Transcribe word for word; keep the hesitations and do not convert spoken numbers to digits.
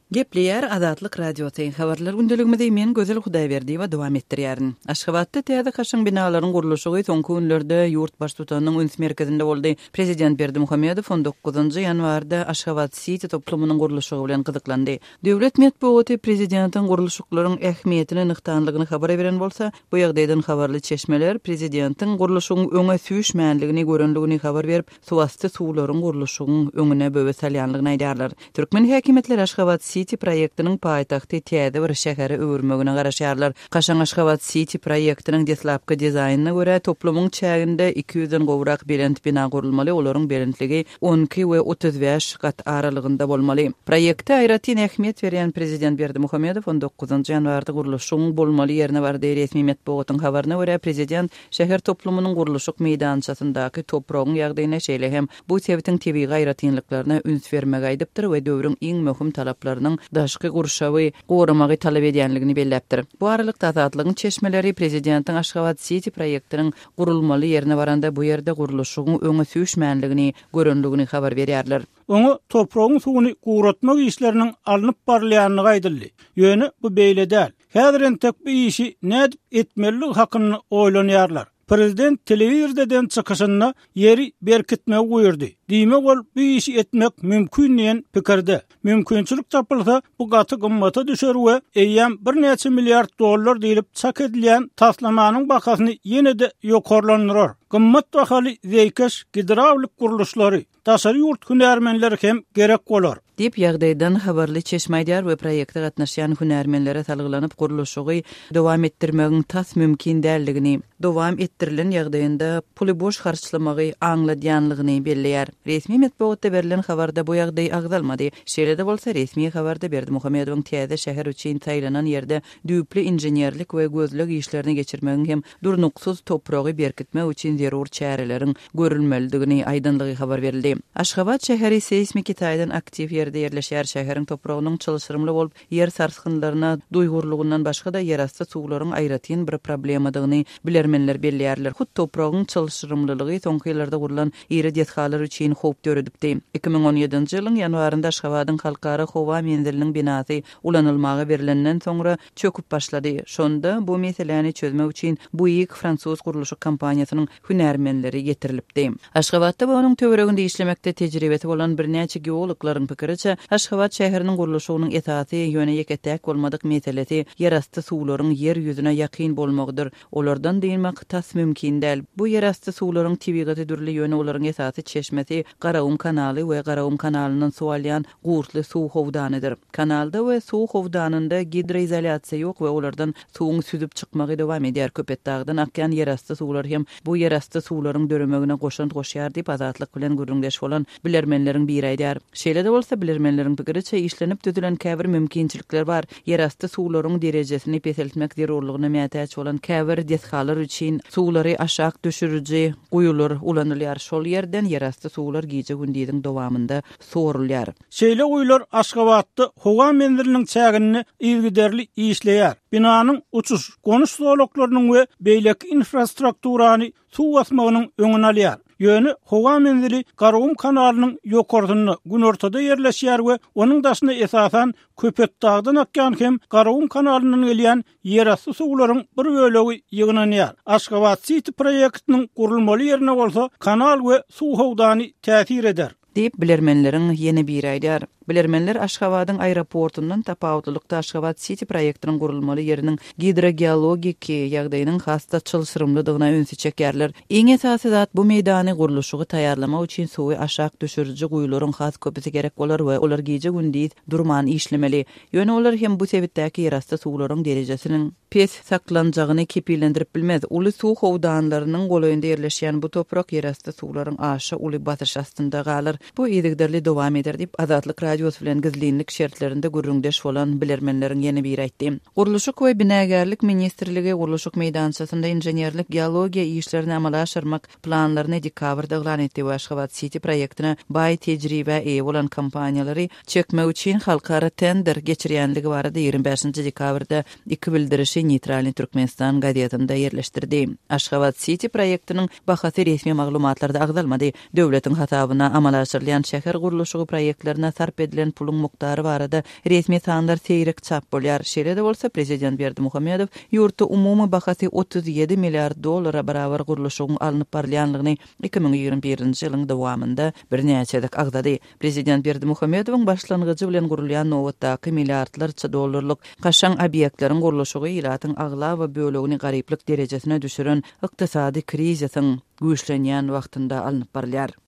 Gepleýär Azatlyk Radiosy. Habarlar gündeligimizi men Gözel Hudaýberdiýewa dowam etdirýärin. Aşgabatda täze kaşaň binalaryň gurluşygy soňky günlerde ýurt baştutanynyň üns merkezinde boldy. Prezident Berdimuhamedow on dokuzynjy ýanwarda Aşgabat City toplumynyň gurluşygy bilen gyzyklandy. Döwlet metbugaty prezidentiň gurluşyklaryň ähmiýetini nygtanlygyny habar beren bolsa, bu ýagdaýdan habarly çeşmeler prezidentiň gurluşygyň öňe süýşmänligini görenligini habar berip, suwasty suwlaryň gurluşygyň öňüne böwet salýanlygyny aýdarlar. Türkmen häkimiýetleri Aşgabat City proýektiniň paýtagty täze bir şähere öwürmegine garaşýarlar. Kaşaň Aşgabat City proýektiniň deslapky dizaýnyna görä toplumyň çäginde iki ýüzden gowrak belent bina gurulmaly, olaryň belentligi on iki we otuz bäş gat aralygynda bolmaly. Proýekte aýratyn ähmiýet berýän prezident Berdimuhamedow on dokuzynjy ýanwarda gurluşygyň bolmaly ýerine bardy. Resmi metbugatyň habaryna görä prezident şäher toplumynyň gurluşyk meýdançasyndaky topragyň ýagdaýyna şeýle hem bu sebitiň tebigy aýratynlyklaryna üns bermegi aýdypdyr we döwrüň iň möhüm talaplarynyň daşky gurşawy goramagy talap edýänligini belläpdir. Bu aralykda Azatlygyň çeşmeleri prezidentiň Aşgabat City proýektiniň gurulmaly ýerine baranda bu ýerde gurluşygyň öňe süýşmänligini görenligini habar berýärler. Oňa topragyň suwuny guratmak işleriniň alnyp barylýanlygy aýdyldy. Ýöne bu beýle däl. Häzir entek bu işi nädip etmeliligi hakynda oýlanýarlar. Prezident telewizordan çykyşynda ýeri berkitmegi buýurdy. Diýmek ol bu işi etmek mümkin diýen pikirde. Mümkinçilik tapylsa bu gaty gymmata düşer we eýýäm birnäçe milliard dollar diýilip çak edilýän taslamanyň bahasyny ýene-de ýokarlandyrar. Gymmat bahaly zeýkeş gidrawlik gurluşlary, daşary ýurt hünärmenleri hem gerek bolar. Diýip ýagdaýdan habarly çeşme aýdar we proýekte gatnaşýan hünärmenlere salgylanyp gurluşygy dowam etdirmegiň tas mümkin däldigini, dowam etdirilen ýagdaýynda puly boş harçlamagy aňladýanlygyny belleýär. Resmi metbugatda berlen habarda bu ýagdaý agzalmady. Şeýle-de bolsa resmi habarda Berdimuhamedowyň täze şäher üçin saýlanan ýerde düýpli inženerlik we gözleg işlerini geçirmegiň hem durnuksyz topragy berkitmek üçin zerur çäreleriň görülmelidigini aýdanlygy habar berildi. Aşgabat şäheri seýsmiki taýdan aktiw ýerde ýerleşýär. Şäheriň topragynyň çylşyrymly bolup, ýer sarsgynlaryna duýgurlygyndan başga-da ýerasty suwlaryň aýratyn bir problemadygyny bilermenler belleýärler. Hut topragyň çylşyrymlylygy soňky ýyllarda gurlan iri desgalar üçin howp döredipdi. iki müň on ýedinji ýylyň ýanwarynda Aşgabadyň halkara howa menziliniň binasy ulanylmaga berilenden soňra çöküp başlady. Şonda bu meseläni çözmek üçin Buig fransuz gurluşyk kompaniýasynyň hünärmenleri getirilipdi. Aşgabatda we onuň töwereginde işlemekde tejribesi bolan birnäçe geologlaryň pikiriçe, Aşgabat şäheriniň gurluşygynyň esasy ýöne ýeke-täk bolmadyk meselesi ýerasty suwlaryň ýer ýüzüne ýakyn bolmagydyr. Olardan dynmak tas mümkin däl. Bu ýerasty suwlaryň tebigaty dürli, ýöne olaryň esasy çeşmesi Garagum kanaly we Garagum kanalyndan suw alýan Gurtly suw howdanydyr. Kanalda we suw howdanynda gidroizolýasiýa ýok we olardan suwuň süzüp çykmagy dowam edýär. Köpetdagdan akýan ýerasty suwlar hem bu ýerasty suwlaryň döremegine goşant goşýar diýip Azatlyk bilen gürrüňdeş bolan bilermenleriň biri aýdar. Şeýle-de bolsa bilermenleriň pikiriçe işlenip düzülen käbir mümkinçilikler bar. Ýerasty suwlaryň derejesini peseltmek zerurlygyna mätäç bolan käbir desgalar üçin suwlary aşak düşüriji guýular ulanylýar. Şol ýerden ýerasty suwlar gije gündiziň dowamynda sorulýar. Şeýle guýular Aşgabatda howa menziliniň çäginde yzygiderli işleýär. Binanyň uçuş, gonuş zolaklarynyň we beýleki infrastrukturany suw basmagynyň öňüni alýar. Ýöne howa menzili Garagum kanalynyň ýokarsynda günortada ýerleşýär we onuň daşyna esasan Köpetdagdan akýan hem Garagum kanalyndan gelýän ýerasty suwlaryň bir bölegi ýygnanýar. Aşgabat City proýektiniň gurulmaly ýerine bolsa kanal we suw howdany täsir eder. Diýip bilermenleriň ýene biri aýdar. Bilermenler Aşgabadyň aeroportundan tapawutlylykda Aşgabat City proýektiniň gurulmaly ýeriniň gidrogeologiki ýagdaýynyň has-da çylşyrymlydygyna ünsi çekýärler. Iň esasy zat bu meýdany gurluşygy taýýarlamak üçin suwy aşak düşüriji guýularyň has köpüsi gerek bolar we olar gije gündiz durman işlemeli. Ýöne olar hem bu sebitdäki ýerasty suwlaryň derejesiniň pes saklanjagyny kepillendirip bilmez. Uly suw howdanlarynyň golaýynda ýerleşýän bu toprak ýerasty suwlaryň aşa uly basyş astynda galar. Bu yzygiderli dowam eder diýip Azatlyk Radiosy bilen gizlinlik şertlerinde gürrüňdeş bolan bilermenleriň ýene biri aýtdy. Gurluşyk we binagärlik ministrligi gurluşyk meýdançasynda inženerlik geologiýa işlerini amala aşyrmak planlaryny dekabrda yglan etdi we Aşgabat City proýektine baý tejribe eýe bolan kompaniýalary çekmek üçin halkara tender geçirýänligi barada ýigrimi bäşinji dekabrda iki bildirişi Neytralny Türkmenistan gazetinde ýerleşdirdi. Aşgabat City proýektiniň bahasy resmi maglumatlarda agzalmady. Döwletiň hasabyna amala aşyrylýan şäher gurluşygy proýektlerine sarp edilen puluň mukdary barada resmi sanlar seýrek çap bolýar. Şeýle-de bolsa prezident Berdimuhamedow ýurtda umumy bahasy otuz ýedi milliard dollara barabar gurluşygyň alnyp barylýanlygyny iki müň ýigrimi birinji ýylyň dowamynda birnäçe gezek agzady. Prezident Berdimuhamedowyň başlangyjy bilen gurulýan nobatdaky milliardlarça dollarlyk kaşaň obýektleriň gurluşygy ilatyň aglaba bölegini garyplyk derejesine düşüren ykdysady krizisiň güýçlenýän wagtynda alnyp barylýar.